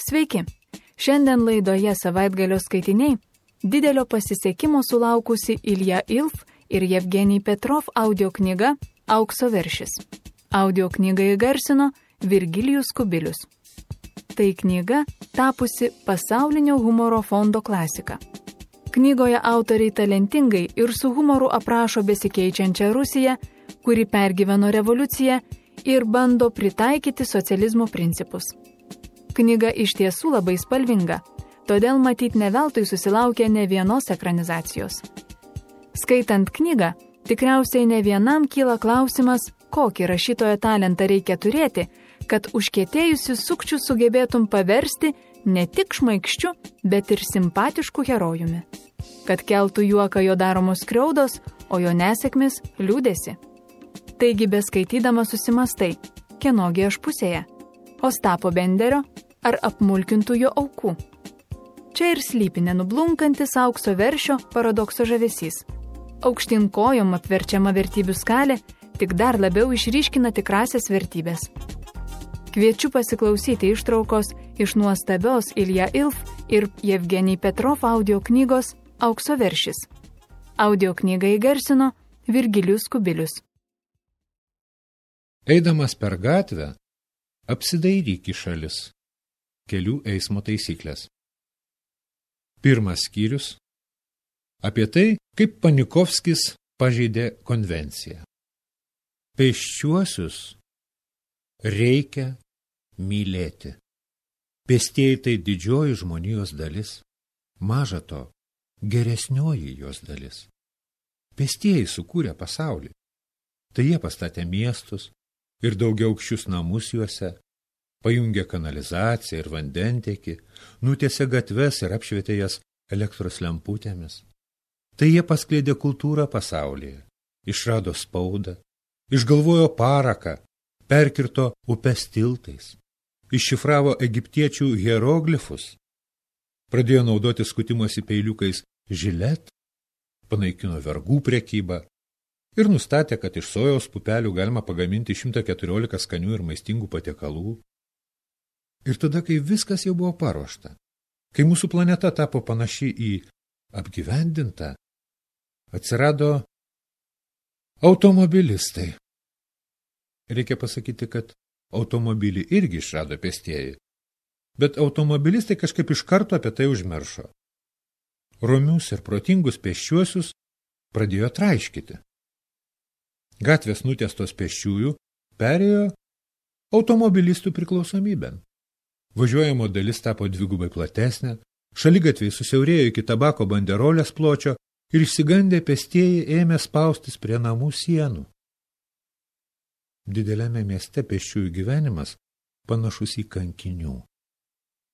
Sveiki! Šiandien laidoje Savaitgalio skaitiniai didelio pasisekimo sulaukusi Ilja Ilf ir Jevgenij Petrov audio knyga Aukso veršis. Audio knygą įgarsino Virgilijus Kubilius. Tai knyga tapusi pasaulinio humoro fondo klasika. Knygoje autoriai talentingai ir su humoru aprašo besikeičiančią Rusiją, kuri pergyveno revoliuciją ir bando pritaikyti socializmo principus. Knyga iš tiesų labai spalvinga, todėl matyt ne veltui susilaukė ne vienos ekranizacijos. Skaitant knygą, tikriausiai ne vienam kyla klausimas, kokį rašytojo talentą reikia turėti, kad užkietėjusius sukčius sugebėtum paversti ne tik šmaikščiu, bet ir simpatišku herojumi. Kad keltų juoką jo daromos skriaudos, o jo nesėkmės liūdėsi. Taigi beskaitydama susimastai, kienogi aš pusėje? Ostapo Benderio ar apmulkintų jo aukų? Čia ir slypi nenublunkantis aukso veršio paradokso žavesys. Aukštyn kojom apverčiama vertybių skalė tik dar labiau išryškina tikrasias vertybės. Kviečiu pasiklausyti ištraukos iš nuostabios Ilja Ilf ir Jevgenij Petrov audio knygos Aukso veršis. Audio knygą įgarsino Virgilijus Kubilius. Eidamas per gatvę, apsidairyk į šalis. Kelių eismo taisyklės. Pirmas skyrius apie tai, kaip Panikovskis pažeidė konvenciją. Pėsčiuosius reikia mylėti. Pėstieji tai didžioji žmonijos dalis, maža to, geresnioji jos dalis. Pėstieji sukūrė pasaulį. Tai jie pastatė miestus ir daugiaaukščius namus juose, pajungė kanalizaciją ir vandentiekį, nutiesė gatves ir apšvietė jas elektros lemputėmis. Tai jie paskleidė kultūrą pasaulyje, išrado spaudą, išgalvojo paraką, perkirto upes tiltais, iššifravo egiptiečių hieroglifus, pradėjo naudoti skutimosi peiliukais žilet, panaikino vergų prekybą ir nustatė, kad iš sojos pupelių galima pagaminti 114 skanių ir maistingų patiekalų. Ir tada, kai viskas jau buvo paruošta, kai mūsų planeta tapo panaši į apgyvendintą, atsirado automobilistai. Reikia pasakyti, kad automobilį irgi išrado pėstieji, bet automobilistai kažkaip iš karto apie tai užmiršo. Romius ir protingus pėsčiuosius pradėjo traiškyti. Gatvės nutiestos pėsčiųjų perėjo automobilistų priklausomybėn. Važiuojamo dalis tapo dvigubai platesnė, šaligatviai susiaurėjo iki tabako banderolės pločio ir išsigandę pėstieji ėmė spaustis prie namų sienų. Dideliame mieste pėsčiųjų gyvenimas panašus į kankinių.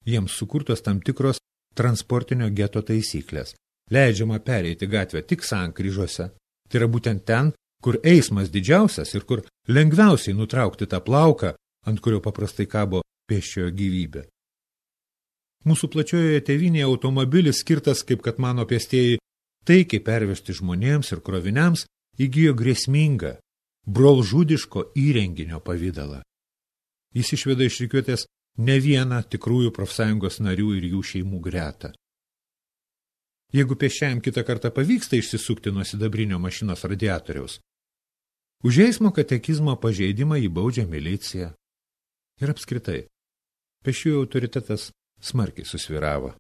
Jiems sukurtos tam tikros transportinio geto taisyklės. Leidžiama pereiti gatvę tik sankryžose. Tai yra būtent ten, kur eismas didžiausias ir kur lengviausiai nutraukti tą plauką, ant kurio paprastai kabo pėsčiojo gyvybė. Mūsų plačiojoje tėvynėje automobilis skirtas, kaip kad mano pėstieji, taikiai pervežti žmonėms ir kroviniams, įgijo grėsmingą, brolžudiško įrenginio pavidalą. Jis išveda iš rikiuotės ne vieną tikrųjų profsąjungos narių ir jų šeimų gretą. Jeigu pėsčiajam kitą kartą pavyksta išsisukti nuo sidabrinio mašinos radiatoriaus, už eismo katekizmo pažeidimą jį baudžia milicija. Ir apskritai, pėsčiųjų autoritetas smarkiai susvyravo.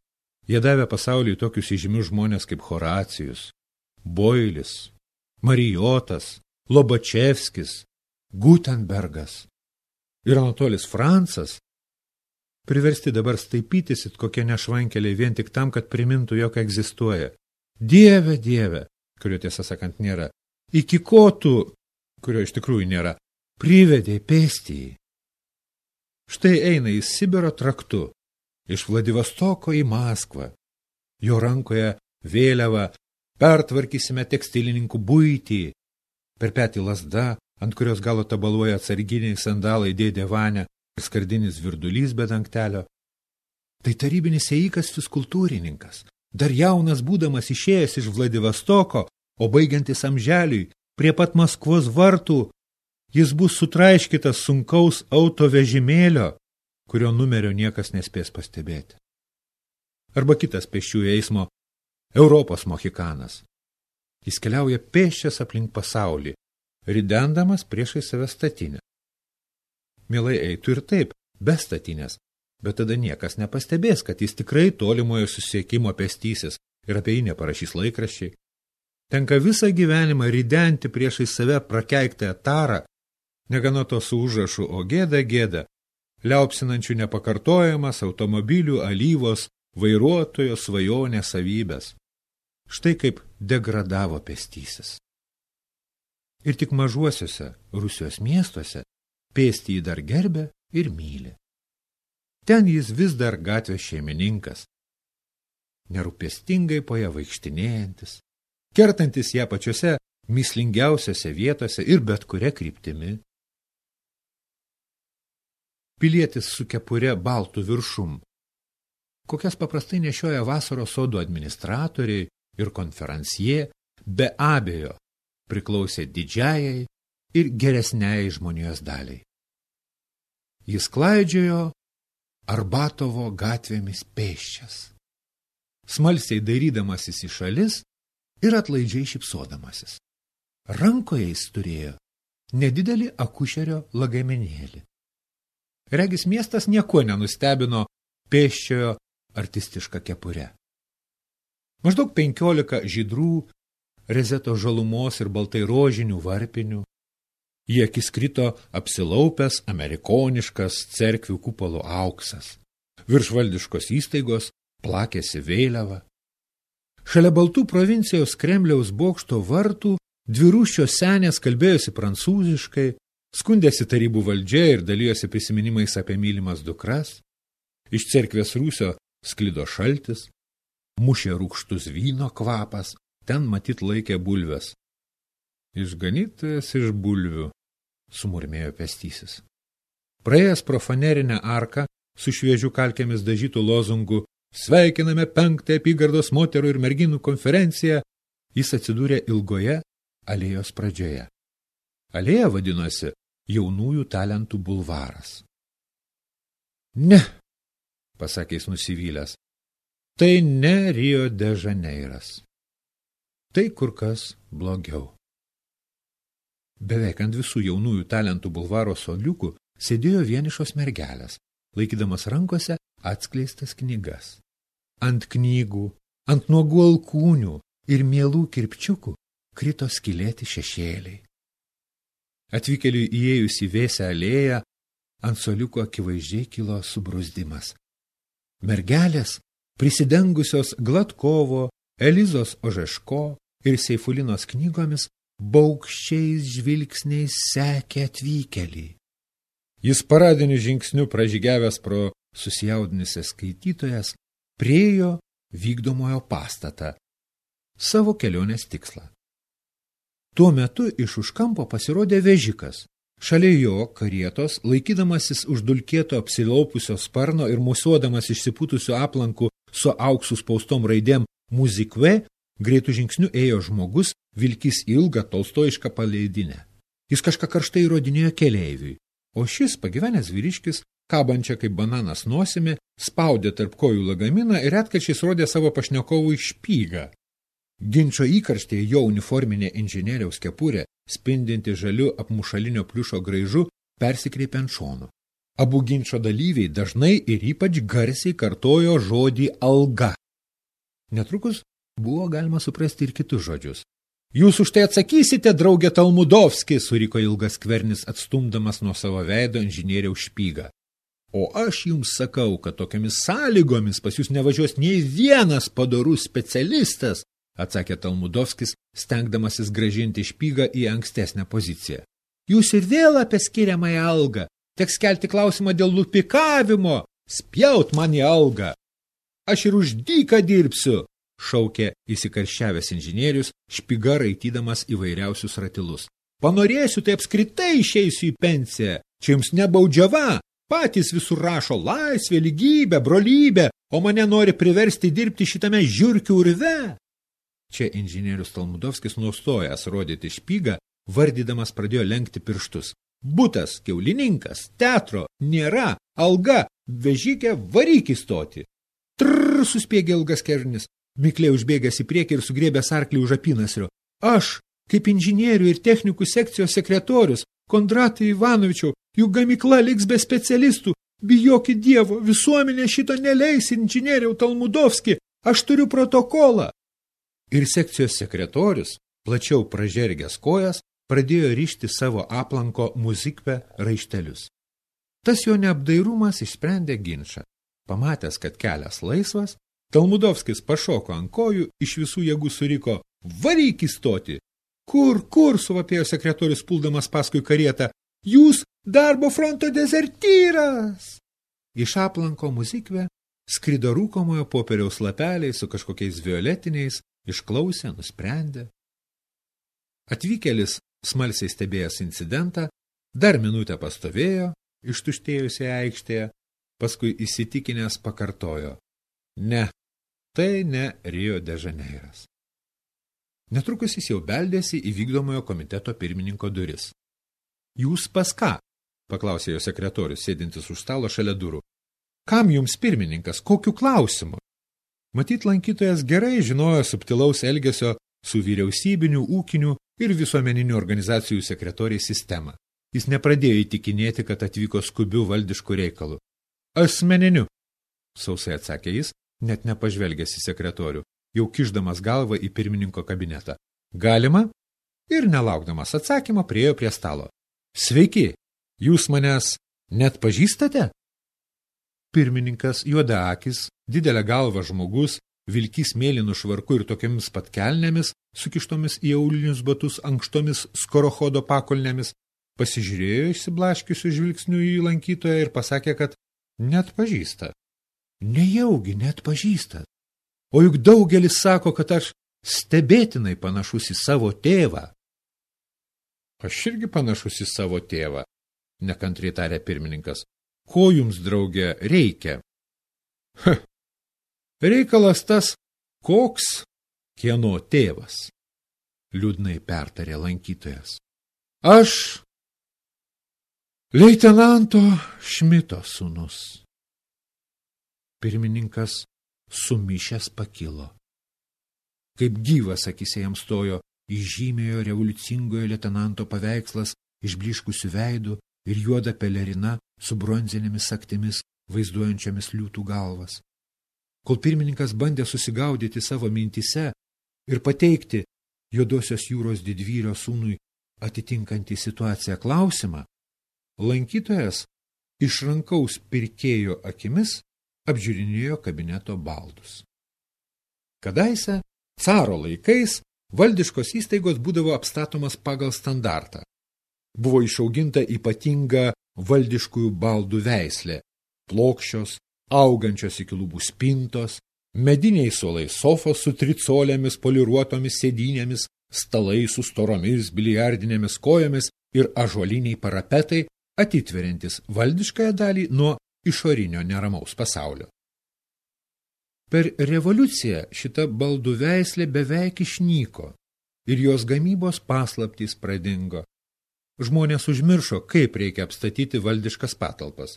Jie davė pasauliui tokius įžymius žmonės kaip Horacijus, Boilis, Marijotas, Lobačevskis, Gutenbergas ir Anatolis Francas, priversti dabar staipytis it kokie nešvankeliai vien tik tam, kad primintų, jog egzistuoja. Dieve, Dieve, kurio tiesą sakant nėra, iki ko tu, kurio iš tikrųjų nėra, privedė pėstįjį. Štai eina į Sibiro traktu, iš Vladivostoko į Maskvą. Jo rankoje vėliava, pertvarkysime tekstilininkų buitį. Per petį lazda, ant kurios galo tabaluoja atsarginiai sandalai dėdė Vania ir skardinis virdulys be dangtelio. Tai tarybinis ėjikas fiskultūrininkas, dar jaunas būdamas išėjęs iš Vladivostoko, o baigiantis amželiui, prie pat Maskvos vartų, jis bus sutraiškytas sunkaus autovežimėlio kurio numerio niekas nespės pastebėti. Arba kitas pėsčiųjų eismo Europos mohikanas. Jis keliauja pėsčias aplink pasaulį, ridendamas priešai save statinę. Mielai eitų ir taip, be statinės, bet tada niekas nepastebės, kad jis tikrai tolimojo susiekimo pėstysis ir apie jį neparašys laikraščiai. Tenka visą gyvenimą ridenti priešai save prakeiktą tarą, negana to su užrašu, o gėda, gėda, liaupsinančių nepakartojamas automobilių alyvos vairuotojo svajonės savybės. Štai kaip degradavo pėstysis. Ir tik mažuosiuose Rusijos miestuose pėstįjį dar gerbia ir myli. Ten jis vis dar gatvės šeimininkas, nerūpestingai po ją vaikštinėjantis, kertantis ją pačiose mįslingiausiose vietose ir bet kuria kryptimi. Pilietis su kepure baltų viršum, kokias paprastai nešioja vasaros sodų administratoriai ir konferansie, be abejo priklausė didžiajai ir geresniai žmonijos daliai. Jis klaidžiojo Arbatovo gatvėmis pėsčias, smalsiai dairydamasis į šalis ir atlaidžiai šypsodamasis. Rankoje jis turėjo nedidelį akušerio lagaminėlį. Regis miestas nieko nenustebino pėsčiojo artistišką kepurę. Maždaug 15 žydrų, rezeto žalumos ir baltai rožinių varpinių. Į akis krito apsilaupęs amerikoniškas cerkvių kupolų auksas. Virš valdiškos įstaigos plakėsi vėliava. Šalia baltų provincijos Kremliaus bokšto vartų dvirūščios senės kalbėjosi prancūziškai, skundėsi tarybų valdžia ir dalijosi prisiminimais apie mylimas dukras. Iš cerkvės rūsio sklido šaltis, mušė rūgštus vyno kvapas, ten matyt laikė bulves. Išganytojas iš bulvių, sumurmėjo pėstysis. Praėjęs pro fanerinę arką su šviežių kalkėmis dažytų lozungų sveikiname 5 apygardos moterų ir merginų konferenciją, jis atsidūrė ilgoje alėjos pradžioje. Alėja vadinosi Jaunųjų talentų bulvaras. Ne, pasakė jis nusivylęs, tai ne Rio de Žaneiras. Tai kur kas blogiau. Beveik ant visų Jaunųjų talentų bulvaro suoliukų sėdėjo vienišos mergelės, laikydamas rankose atskleistas knygas. Ant knygų, ant nuogų alkūnių ir mielų kirpčiukų krito skylėti šešėliai. Atvykėliui įėjus į vėsią alėją, ant suoliuko akivaizdžiai kilo subruzdimas. Mergelės, prisidengusios Glatkovo, Elizos Ožeško ir Seifulinos knygomis, baugščiais žvilgsniais sekė atvykėlį. Jis paradiniu žingsniu pražygiavęs pro susijaudinusias skaitytojas, priėjo vykdomojo pastatą, savo kelionės tikslą. Tuo metu iš už kampo pasirodė vežikas. Šalia jo karietos, laikydamasis už dulkėto apsilaupiusio sparno ir musuodamas išsipūtusiu aplanku su auksu spaustom raidėm muzikve, greitų žingsnių ėjo žmogus, vilkys ilgą tolstojišką paleidinę. Jis kažką karštai įrodinėjo keleiviui, o šis pagyvenęs vyriškis, kabančią kaip bananas nosimi, spaudė tarp kojų lagaminą ir retkarčiais rodė savo pašnekovui špygą. Ginčo įkarštėje jo uniforminė inžinieriaus kepurė, spindinti žaliu apmušalinio pliušo graižu, persikreipė ant šonų. Abu ginčo dalyviai dažnai ir ypač garsiai kartojo žodį alga. Netrukus buvo galima suprasti ir kitus žodžius. Jūs už tai atsakysite, draugė Talmudovski, suriko ilgas skvernis, atstumdamas nuo savo veido inžinieriaus špygą. O aš jums sakau, kad tokiamis sąlygomis pas jūs nevažiuos nei vienas padorus specialistas, atsakė Talmudovskis, stengdamasis grąžinti špygą į ankstesnę poziciją. Jūs ir vėl apie skiriamąją algą. Teks kelti klausimą dėl lupikavimo. Spjaut man į algą. Aš ir už dyką dirbsiu, šaukė įsikarščiavęs inžinierius, špyga raitydamas įvairiausius ratilus. Panorėsiu, tai apskritai išeisiu į pensiją. Čia jums nebaudžiava. Patys visur rašo laisvė, lygybė, brolybė, o mane nori priversti dirbti šitame žiurkių urve. Čia inžinierius Talmudovskis nustojęs rodyti špygą, vardydamas pradėjo lenkti pirštus. Butas, kiaulininkas, teatro, nėra, alga, Vežikė, varyk įstoti. Trrr, suspiegė ilgas kernis. Mikliai užbėgęs į priekį ir sugriebęs arklį už apynasrio. Aš, kaip inžinierių ir technikų sekcijos sekretorius, Kondratai Ivanovičiau, juk gamykla liks be specialistų. Bijokit Dievo, visuomenė šito neleis, inžinieriau Talmudovski, aš turiu protokolą. Ir sekcijos sekretorius, plačiau pražergęs kojas, pradėjo rišti savo aplanko muzikve raištelius. Tas jo neapdairumas išsprendė ginčą. Pamatęs, kad kelias laisvas, Talmudovskis pašoko ant kojų, iš visų jėgų suriko, varyk įstoti. Kur, suvapėjo sekretorius puldamas paskui karietą, jūs darbo fronto dezertyras. Iš aplanko muzikve skrido rūkomojo popieriaus lapeliai su kažkokiais violetiniais, išklausė, nusprendė. Atvykėlis, smalsiai stebėjęs incidentą, dar minutę pastovėjo, ištuštėjusioje aikštėje, paskui įsitikinęs pakartojo. Ne, tai ne Rio de Žaneiras. Netrukus jis jau beldėsi į vykdomojo komiteto pirmininko duris. Jūs pas ką? Paklausė jo sekretorius, sėdintis už stalo šalia durų. Kam jums pirmininkas, kokiu klausimu? Matyt, lankytojas gerai žinojo subtilaus elgesio su vyriausybinių, ūkinių ir visuomeninių organizacijų sekretoriai sistemą. Jis nepradėjo įtikinėti, kad atvyko skubių valdiškų reikalų. Asmeniniu, sausai atsakė jis, net nepažvelgęs į sekretorių, jau kišdamas galvą į pirmininko kabinetą. Galima? Ir nelaukdamas atsakymą priėjo prie stalo. Sveiki, jūs manęs net pažįstate? Pirmininkas, juodaakis, didelė galva žmogus, vilkys mėlynų švarku ir tokiamis pat kelnėmis, sukištomis į aulinius batus ankštomis skorochodo pakolnėmis, pasižiūrėjo išsiblaškiusių žvilgsnių į lankytoją ir pasakė, kad net pažįsta. Nejaugi net pažįstat. O juk daugelis sako, kad aš stebėtinai panašus į savo tėvą. Aš irgi panašus į savo tėvą, nekantriai tarė pirmininkas. Ko jums, draugė, reikia? Reikalas tas, koks kieno tėvas, liūdnai pertarė lankytojas. Aš leitenanto Šmito sūnus. Pirmininkas sumišęs pakilo. Kaip gyvas akyse jam stojo įžymėjo revoliucingojo leitenanto paveikslas išbliškusių veidų ir juoda pelerina su bronzinėmis sagtimis vaizduojančiamis liūtų galvas. Kol pirmininkas bandė susigaudyti savo mintise ir pateikti juodosios jūros didvyrio sūnui atitinkantį situaciją klausimą, lankytojas iš rankaus pirkėjo akimis apžiūrinėjo kabineto baldus. Kadaise, caro laikais, valdiškos įstaigos būdavo apstatomas pagal standartą. Buvo išauginta ypatinga valdiškųjų baldų veislė, plokščios, augančios iki lubų spintos, mediniai suolai sofos su tricolėmis poliruotomis sėdynėmis, stalai su storomis biliardinėmis kojomis ir ąžuoliniai parapetai, atitveriantis valdiškąją dalį nuo išorinio neramaus pasaulio. Per revoliuciją šita baldų veislė beveik išnyko ir jos gamybos paslaptys pradingo. Žmonės užmiršo, kaip reikia apstatyti valdiškas patalpas.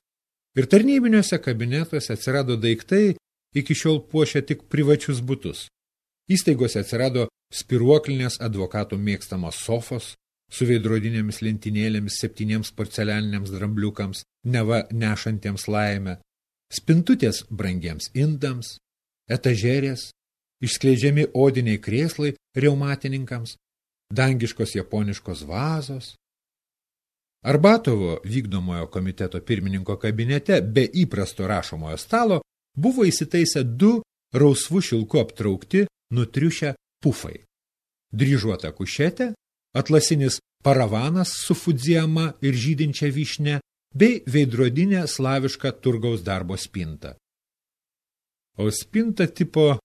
Ir tarnybiniuose kabinetuose atsirado daiktai, iki šiol puošia tik privačius butus. Įstaigose atsirado spiruoklinės advokatų mėgstamos sofos, su veidrodinėmis lentynėlėmis 7 porcelianiniams drambliukams, neva nešantiems laimę, spintutės brangiems indams, etažerės, išskleidžiami odiniai krėslai reumatininkams, dangiškos japoniškos vazos. Arbatovo vykdomojo komiteto pirmininko kabinete be įprasto rašomojo stalo buvo įsitaisę 2 rausvų šilku aptraukti nutriušę pufai. Dryžuota kušetė, atlasinis paravanas su fudziama ir žydinčia vyšne, bei veidrodinė slaviška turgaus darbo spinta. O spinta tipo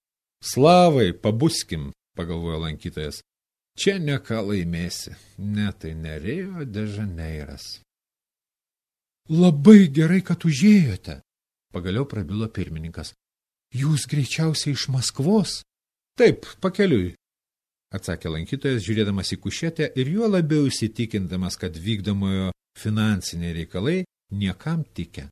slavai, pabuskim, pagalvojo lankytojas. Čia ne ką laimėsi, ne tai ne Rio de Žaneiras. Labai gerai, kad užėjote, pagaliau prabilo pirmininkas. Jūs greičiausiai iš Maskvos? Taip, pakeliui, atsakė lankytojas, žiūrėdamas į kušetę ir juo labiau įsitikindamas, kad vykdomojo finansiniai reikalai niekam tikę.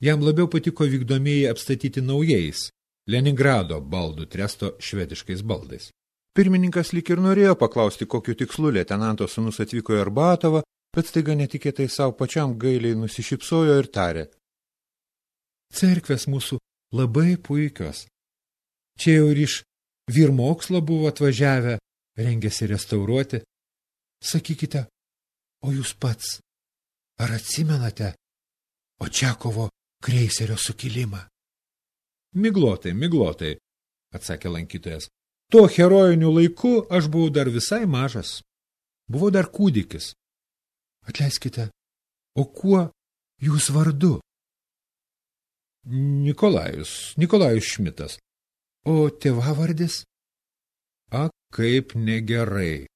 Jam labiau patiko vykdomieji apstatyti naujais Leningrado baldų tresto švediškais baldais. Pirmininkas lyg ir norėjo paklausti, kokiu tikslu leitenanto sūnus atvyko į Arbatovą, bet staiga netikėtai savo pačiam gailiai nusišypsojo ir tarė: cerkvės mūsų labai puikios. Čia jau ir iš vyrmokslo buvo atvažiavę, rengėsi restauruoti. Sakykite, o jūs pats, ar atsimenate Očiakovo kreiserio sukilimą? Miglotai, atsakė lankytojas. Tuo herojiniu laiku aš buvau dar visai mažas. Buvau dar kūdikis. Atleiskite, o kuo jūs vardu? Nikolajus Šmitas. O tėvavardis? A, kaip negerai,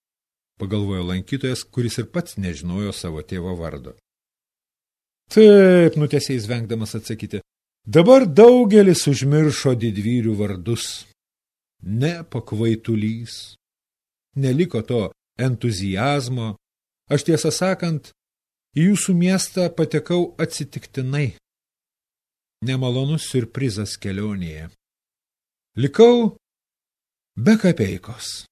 pagalvojo lankytojas, kuris ir pats nežinojo savo tėvo vardo. Taip, nutęsė jis vengdamas atsakyti. Dabar daugelis užmiršo didvyrių vardus. Ne pakvaitulys. Neliko to entuziazmo. Aš tiesą sakant, į jūsų miestą patekau atsitiktinai. Nemalonus siurprizas kelionėje. Likau be kapeikos.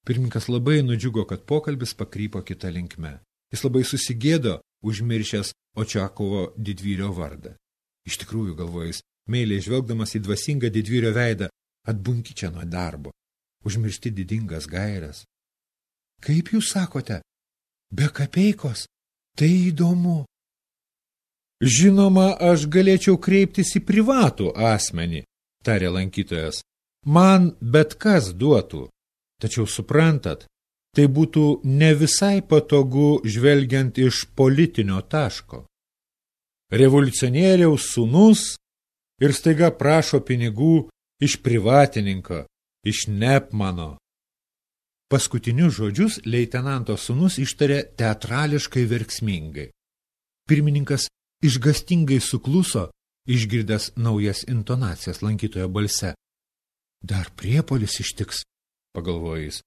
Pirmininkas labai nudžiugo, kad pokalbis pakrypo kitą linkme. Jis labai susigėdo, užmiršęs Očiakovo didvyrio vardą. Iš tikrųjų, galvojo jis, meiliai žvelgdamas į dvasingą didvyrio veidą, atbunki čia nuo darbo, užmiršti didingas gairias. Kaip jūs sakote, be kapeikos? Tai įdomu. Žinoma, aš galėčiau kreiptis į privatų asmenį, tarė lankytojas. Man bet kas duotų. Tačiau suprantat, tai būtų ne visai patogu žvelgiant iš politinio taško. Revoliucionieriaus sūnus ir staiga prašo pinigų iš privatininko, iš Nepmano. Paskutinius žodžius leitenanto sūnus ištarė teatrališkai verksmingai. Pirmininkas išgastingai sukluso, išgirdęs naujas intonacijas lankytojo balse. Dar priepuolis ištiks, pagalvojo jis,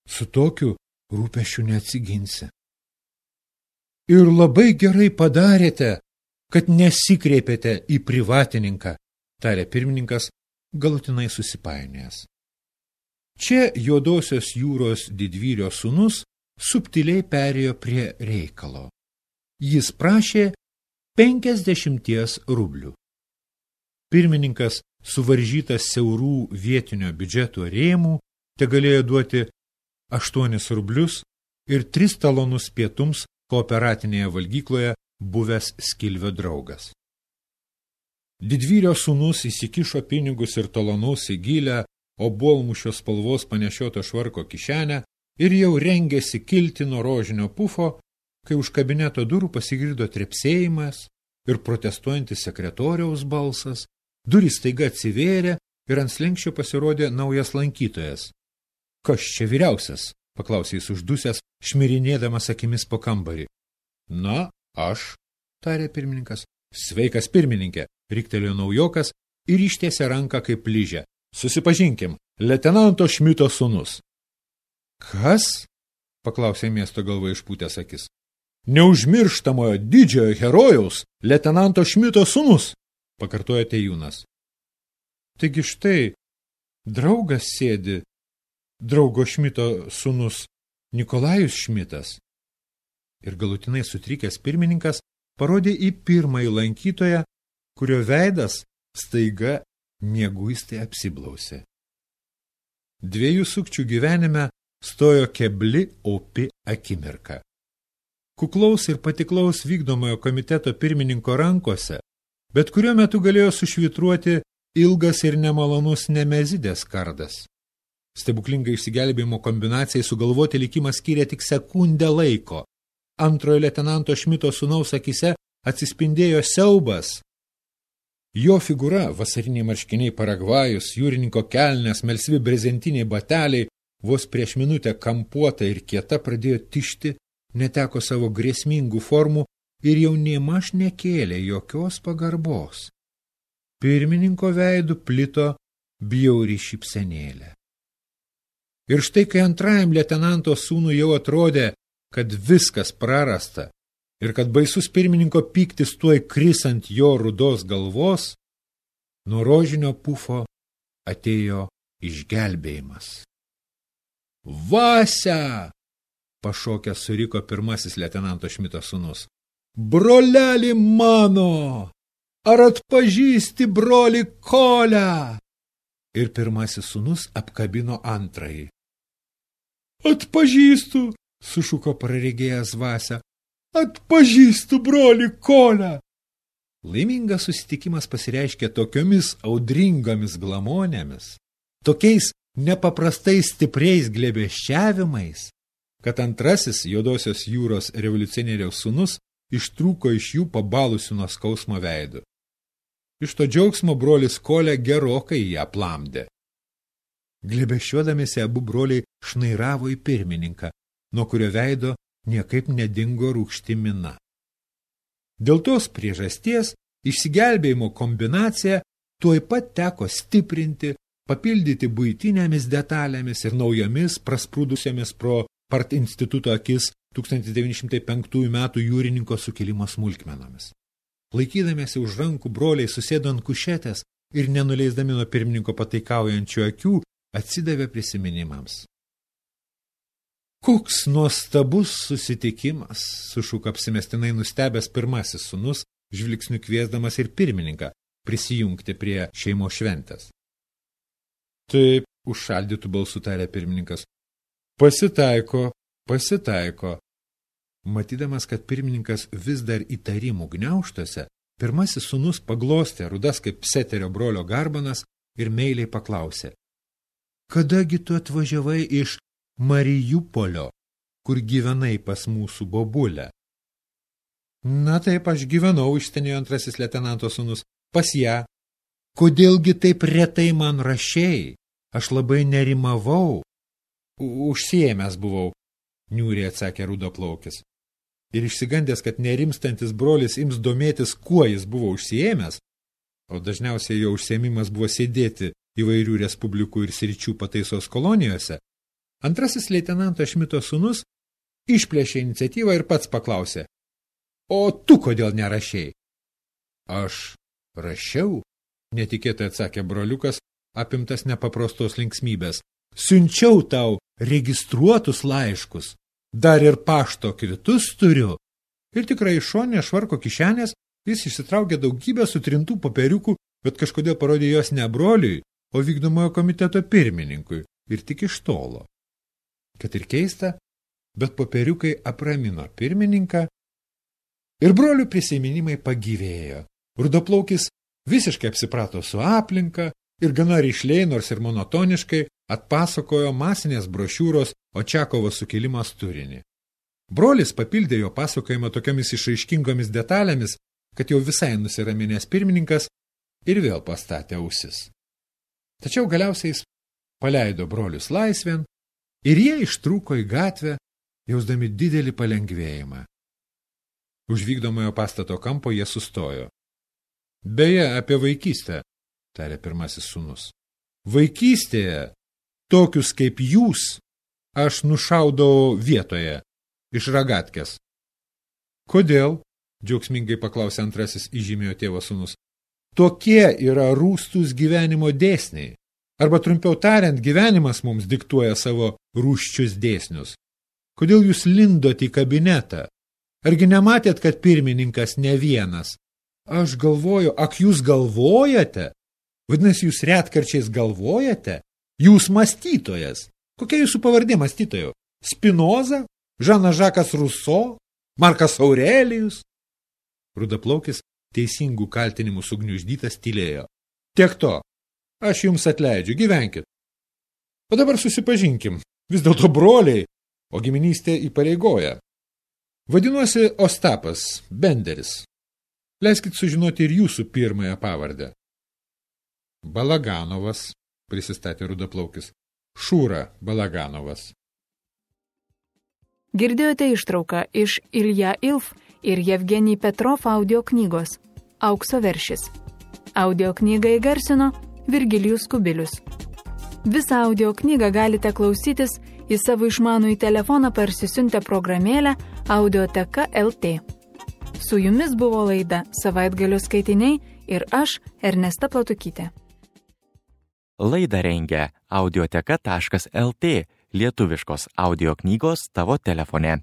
su tokiu rūpesčiu neatsiginsi. Ir labai gerai padarėte, kad nesikreipėte į privatininką, tarė pirmininkas, galutinai susipainėjęs. Čia Juodosios jūros didvyrio sūnus subtiliai perėjo prie reikalo. Jis prašė 50 rublių. Pirmininkas, suvaržytas siaurų vietinio biudžeto rėmų, te galėjo duoti 8 rublius ir 3 talonus pietums kooperatinėje valgykloje buvęs Skilvio draugas. Didvyrio sūnus įsikišo pinigus ir talonus į gilę, obuolmušio spalvos panešioto švarko kišenę ir jau rengėsi kilti nuo rožinio pufo, kai už kabineto durų pasigirdo trepsėjimas ir protestuojantis sekretoriaus balsas, durys staiga atsivėrė ir ant slenksčio pasirodė naujas lankytojas. Kas čia vyriausias? Paklausė jis uždusęs, šmirinėdamas akimis po kambarį. Na, aš, tarė pirmininkas. Sveikas pirmininkė, riktelėjo naujokas ir ištiesė ranką kaip lyžę. Susipažinkim, leitenanto Šmito sūnus. Kas? Paklausė miesto galva išpūtęs akis. Neužmirštamojo didžiojo herojaus, leitenanto Šmito sūnus, pakartojo Tejūnas. Taigi štai, draugas sėdi, draugo Šmito sūnus Nikolajus Šmitas. Ir galutinai sutrikęs pirmininkas parodė į pirmąjį lankytoją, kurio veidas staiga mieguistai apsiblausė. Dviejų sukčių gyvenime stojo kebli opi akimirka. Kuklaus ir patiklaus vykdomojo komiteto pirmininko rankose, bet kuriuo metu galėjo sušvitruoti ilgas ir nemalonus Nemezidės kardas. Stebuklingai išsigelbėjimo kombinacijai sugalvoti likimas skyrė tik sekundę laiko. Antrojo leitenanto Šmito sūnaus akise atsispindėjo siaubas. Jo figūra, vasariniai marškiniai Paragvajus, jūrininko kelnes, melsvi brezentiniai bateliai, vos prieš minutę kampuota ir kieta pradėjo tišti, neteko savo grėsmingų formų ir jau nėmaž nekėlė jokios pagarbos. Pirmininko veidu plito bjauri šypsenėlė. Ir štai, kai antrajam leitenanto sūnui jau atrodė, kad viskas prarasta, ir kad baisus pirmininko pyktis tuoj kris ant jo rudos galvos, nuo rožinio pufo atėjo išgelbėjimas. Vasia! Pašokęs suriko pirmasis leitenanto Šmito sūnus. Broleli mano! Ar atpažįsti brolį Kolę? Ir pirmasis sūnus apkabino antrąjį. Atpažįstu, sušuko praregėjęs Vasia. Atpažįstu brolį Kolę. Laimingas susitikimas pasireiškė tokiomis audringomis glamonėmis, tokiais nepaprastai stipriais glėbesčiavimais, kad antrasis Juodosios jūros revoliucionieriaus sūnus ištrūko iš jų pabalusių nuo skausmo veidų. Iš to džiaugsmo brolis Kolė gerokai ją aplamdė. Glėbesčiuodamiesi abu broliai šnairavo į pirmininką, nuo kurio veido niekaip nedingo rūgšti mina. Dėl tos priežasties išsigelbėjimo kombinaciją tuoj pat teko stiprinti, papildyti buitinėmis detalėmis ir naujomis prasprūdusiamis pro part instituto akis 1905 metų jūrininko sukilimo smulkmenomis. Laikydamiesi už rankų broliai susėdo ant kušetės ir nenuleisdami nuo pirmininko pataikaujančių akių atsidavė prisiminimams. Koks nuostabus susitikimas, sušuko apsimestinai nustebęs pirmasis sūnus, žvilgsniu kviesdamas ir pirmininką prisijungti prie šeimos šventės. Taip, užšaldytų balsų tarė pirmininkas. Pasitaiko. Matydamas, kad pirmininkas vis dar įtarimų gniauštose, pirmasis sūnus paglostė rudas kaip Pseterio brolio garbanas ir meiliai paklausė. Kadagi tu atvažiavai iš Marijupolio, kur gyvenai pas mūsų bobulę? Na taip, aš gyvenau, išstenėjo antrasis leitenanto sūnus, pas ją. Kodėlgi taip retai man rašei? Aš labai nerimavau. Užsiėmęs buvau, niūriai atsakė rudoplaukis. Ir išsigandęs, kad nerimstantis brolis ims domėtis, kuo jis buvo užsiėmęs, o dažniausiai jo užsiėmimas buvo sėdėti įvairių respublikų ir sričių pataisos kolonijose, antrasis leitenanto Šmito sūnus išplėšė iniciatyvą ir pats paklausė. O tu kodėl nerašei? Aš rašiau, netikėtai atsakė broliukas, apimtas nepaprastos linksmybės. Siunčiau tau registruotus laiškus, dar ir pašto kvitus turiu. Ir tikrai iš šonės švarko kišenės jis išsitraukė daugybę sutrintų popieriukų, bet kažkodėl parodė jos ne broliui, o vykdomojo komiteto pirmininkui ir tik iš tolo. Kad ir keista, bet popieriukai apramino pirmininką ir brolių prisiminimai pagyvėjo. Rudoplaukis visiškai apsiprato su aplinka ir gana rišliai, nors ir monotoniškai, atpasakojo masinės brošiūros Očiakovo sukilimas turinį. Brolis papildė jo pasakojimą tokiamis išraiškingomis detalėmis, kad jau visai nusiraminęs pirmininkas ir vėl pastatė ausis. Tačiau galiausiai jis paleido brolius laisvėn ir jie ištrūko į gatvę, jausdami didelį palengvėjimą. Už vykdomojo pastato kampo jie sustojo. Beje, apie vaikystę, tarė pirmasis sūnus. Vaikystėje, tokius kaip jūs, aš nušaudau vietoje, iš ragatkės. Kodėl? Džiaugsmingai paklausė antrasis įžymėjo tėvo sūnus. Tokie yra rūstus gyvenimo dėsniai. Arba trumpiau tariant, gyvenimas mums diktuoja savo rūsčius dėsnius. Kodėl jūs lindot į kabinetą? Argi nematėt, kad pirmininkas ne vienas? Aš galvoju, ak jūs galvojate? Vadinasi, jūs retkarčiais galvojate? Jūs mąstytojas. Kokia jūsų pavardė mąstytojo? Spinoza? Žanas Žakas Ruso? Markas Aurelijus? Rudaplaukis teisingų kaltinimų sugniuždytas tylėjo. Tiek to. Aš jums atleidžiu, gyvenkit. O dabar susipažinkim. Vis dėlto broliai, o giminystė įpareigoja. Vadinuosi Ostapas, Benderis. Leiskit sužinoti ir jūsų pirmąją pavardę. Balaganovas, prisistatė rudaplaukis. Šūra Balaganovas. Girdėjote ištrauką iš Ilja Ilf ir Jevgenij Petrov audio knygos Aukso veršis. Audio knygą įgarsino Virgilijus Kubilius. Visą audio knygą galite klausytis į savo išmanųjį telefoną parsisiuntę programėlę Audioteka LT. Su jumis buvo laida Savaitgalio skaitiniai ir aš, Ernesta Platukytė. Laidą rengia audioteka.lt, lietuviškos audio knygos tavo telefone.